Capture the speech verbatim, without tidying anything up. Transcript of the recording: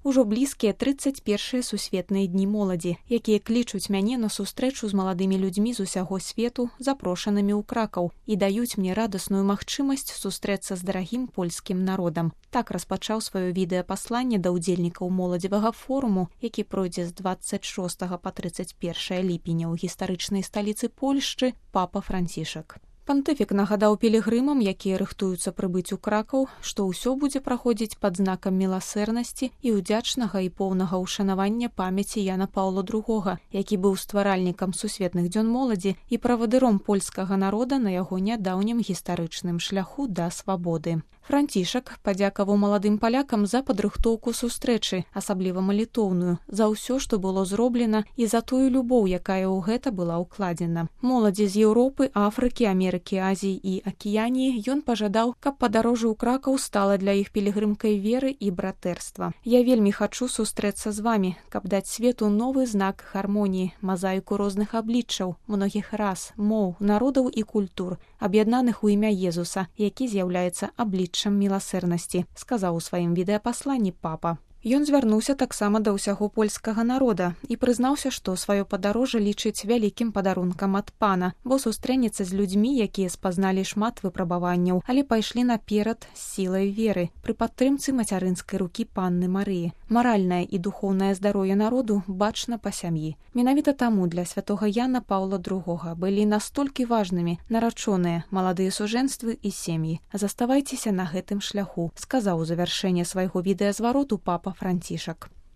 Ужо блізкія трыццаць першыя сусветныя дні моладзі, якія клічуць мяне на сустрэчу з маладымі людзьмі з усяго свету, запрошанымі ў Кракаў, і даюць мне радасную магчымасць сустрэцца з дарагім польскім народам. Так распачаў сваё відэапасланне да ўдзельнікаў моладзевага форуму, які пройдзе з дваццаць шостага па трыццаць першае ліпеня ў гістарычнай сталіцы Польшчы папа Францішак. Пантыфік нагадаў пілігрымам, якія рыхтуюцца прыбыць у Кракаў, што ўсё будзе праходзіць пад знакам міласэрнасці і ўдзячнага і поўнага ўшанавання памяці Яна Паўла другога, які быў стваральнікам сусветных дзён моладзі і правадыром польскага народа на яго нядаўнім гістарычным шляху да свабоды. Францішак падзякаваў маладым палякам за падрыхтоўку сустрэчы, асабліва малітоўную, за ўсё, што было зроблена, і за тую любоў, якая ў гэта была ўкладзена. Моладзі з Еўропы, Афрыкі, Амерыкі, Азіі і Акіяніі ён пажадаў, каб падарожжа ў Кракаў стала для іх пілігрымкай веры і братэрства. Я вельмі хачу сустрэцца з вамі, каб даць свету новы знак гармоніі, мазаіку розных абліччаў, многіх рас, моў, народаў і культур, аб'яднаных у імя Езуса, які з'яўляецца абліччам міласэрнасці, сказаў у сваім відэапасланні папа. Ён звярнуўся таксама да ўсяго польскага народа і прызнаўся, што сваё падарожжа лічыць вялікім падарункам ад пана, бо сустрэнецца з людзьмі, якія спазналі шмат выпрабаванняў, але пайшлі наперад з сілай веры пры падтрымцы мацярынскай рукі панны Марыі. Маральнае і духоўнае здароўе народу бачна па сям'і. Менавіта таму для святога Яна Паўла другога былі настолькі важнымі нарачоныя маладыя сужэнствы і сем'і. Заставайцеся на гэтым шляху, сказаў у завяршэнне свайго відэазвароту папа Францішак.